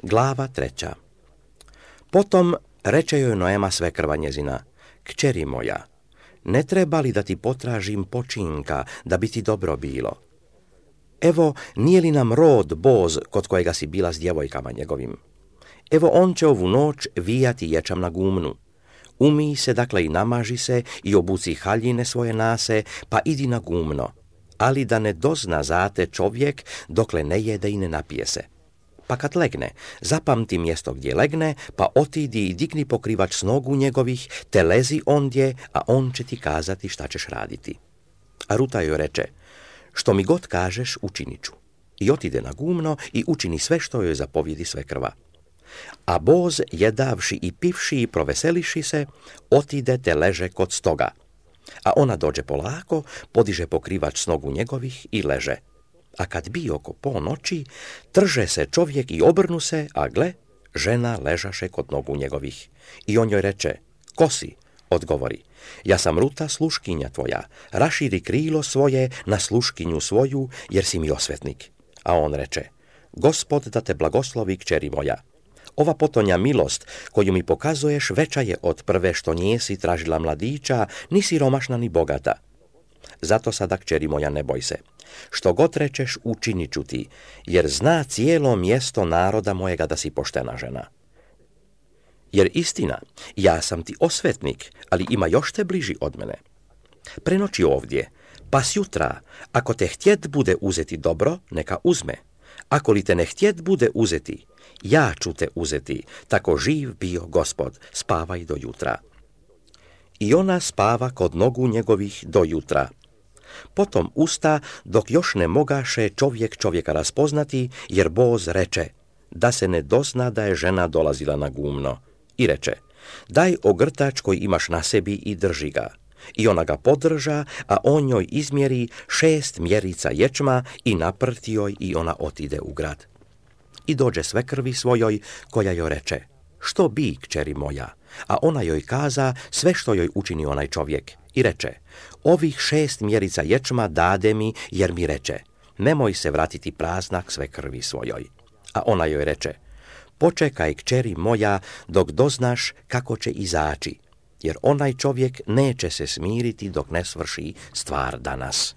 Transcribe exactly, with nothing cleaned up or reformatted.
Glava treća. Potom reče joj Noema svekrva njezina: Kćeri moja, ne treba li da ti potražim počinka, da bi ti dobro bilo? Evo, nije li nam rod Boz kod kojega si bila s djevojkama njegovim? Evo, on će ovu noć vijati ječam na gumnu. Umij se, dakle, i namaži se i obuci haljine svoje nase, pa idi na gumno, ali da ne dozna zate čovjek dokle ne jede i ne napije se. Pa kad legne, zapamti mjesto gdje legne, pa otidi i digni pokrivač s nogu njegovih, te lezi ondje, a on će ti kazati šta ćeš raditi. A Ruta joj reče: Što mi god kažeš, učinit ću. I otide na gumno i učini sve što joj zapovjedi svekrva. A Boz, jedavši i pivši i proveseliši se, otide te leže kod stoga. A ona dođe polako, podiže pokrivač s nogu njegovih i leže. A kad bi oko ponoći, trže se čovjek i obrnu se, a gle, žena ležaše kod nogu njegovih. I on joj reče: Ko si? Odgovori: Ja sam Ruta, sluškinja tvoja, raširi krilo svoje na sluškinju svoju, jer si mi osvetnik. A on reče: Gospod da te blagoslovi, kćeri moja. Ova potonja milost koju mi pokazuješ veća je od prve što njesi tražila mladića, ni siromašna ni bogata. Zato sada, kćeri moja, ne boj se. Što god rečeš, učinit ću ti, jer zna cijelo mjesto naroda mojega da si poštena žena. Jer istina, ja sam ti osvetnik, ali ima još te bliži od mene. Prenoći ovdje, pa sjutra, ako te htjet bude uzeti dobro, neka uzme. Ako li te ne htjet bude uzeti, ja ću te uzeti, tako živ bio Gospod, spavaj do jutra. I ona spava kod nogu njegovih do jutra. Potom usta, dok još ne mogaše čovjek čovjeka raspoznati, jer Boz reče: Da se ne dozna da je žena dolazila na gumno. I reče: Daj ogrtač koji imaš na sebi i drži ga. I ona ga podrža, a on njoj izmjeri šest mjerica ječma i naprti joj i ona otide u grad. I dođe svekrvi svojoj, koja joj reče: Što bi, kćeri moja? A ona joj kaza sve što joj učini onaj čovjek. I reče: Ovih šest mjerica ječma dade mi, jer mi reče: Nemoj se vratiti prazna k svekrvi svojoj. A ona joj reče: Počekaj, kćeri moja, dok doznaš kako će izaći, jer onaj čovjek neće se smiriti dok ne svrši stvar danas.